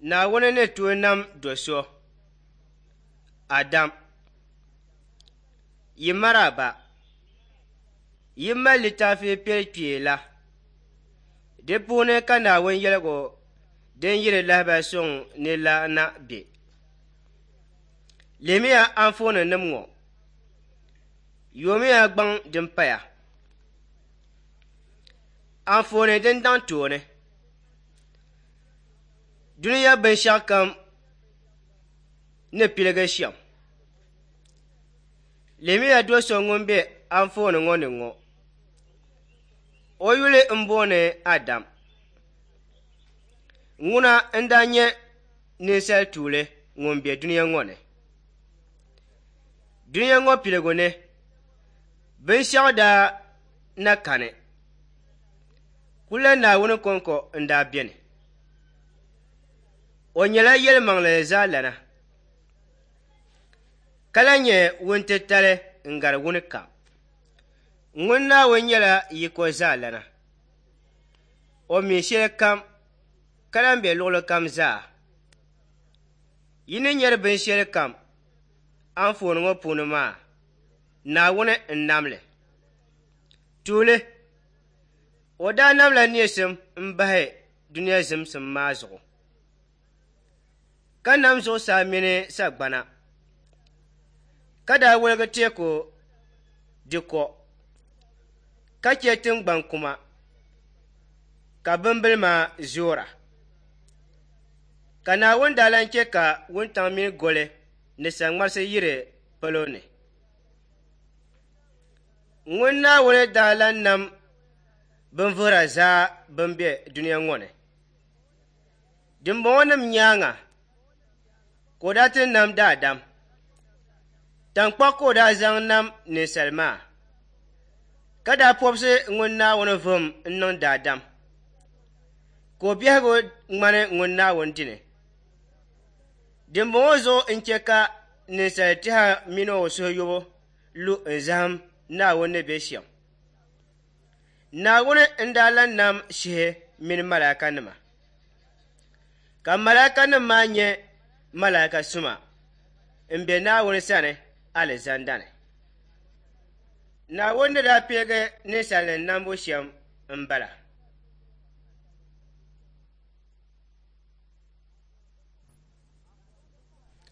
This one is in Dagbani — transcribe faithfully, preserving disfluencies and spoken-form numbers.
Naawuni ni tooi nam do so, Adam. Yi maraba. Yi mali litaafi piɛli la. Di puuni ka Naawuni yɛligu din yiri lahibali suŋ ni la na be. Lihimiya anfooninima ŋɔ. Yoomiya gbaŋ din paya. Anfooni din daŋ tooni. Dunia binshɛɣu kam ni piligi shɛm. Lihimiya do so ŋun be anfooni ŋɔ ni ŋɔ. O yuli m-booni Adam. Ŋuna n-daa nyɛ ninsal tuuli ŋun be dunia ŋɔ ni. Dunia ŋɔ piligu ni, binshɛɣu daa na kani. Kula Naawuni kɔŋko n-daa beni. O nyɛla yɛlimaŋli zaalana, ka lahi nyɛ wuntitali n-gari wuni kam. Ŋun Naawuni nyɛla yiko zaalana. O mi shɛli kam ka lahi be luɣili kam zaa. Yi ni nyari binshɛli kam anfooni ŋɔ puuni maa, Naawuni n-nam li. Tuuli, o daa namla neesim m-bahi dunia zimsim maa zuɣu, ka nam zuɣusaa mini sagbana, ka daa woligi teeku di ko, ka che tiŋgbani kuma, ka bimbilima zoora. Ka Naawuni daa lan che ka wuntaŋ mini goli ni saŋmarisi yiri palo ni. Ŋun Naawuni daa lan nam binvuhira zaa bɛn be dunia ŋɔ ni. Dimbɔŋɔnima nyaaŋa ka o daa ti nam daadam. Taŋkpaɣu ka o daa zaŋ nam ninsal maa, ka daa pɔbisi ŋun Naawuni vuhim n-niŋ daadam, ka o biɛhigu ŋmani ŋun Naawuni dini. Dimbɔŋɔ zuɣu n-che ka ninsal tɛha mini o suhuyubu lu n-zahim Naawuni ni be shɛm. Naawuni n-daa lan nam shihi mini malaikanima, ka malaikanima maa nyɛ malaika suma m-be Naawuni sani alizanda ni. Naawuni ni daa piligi ninsalinima nambu shɛm m-bala.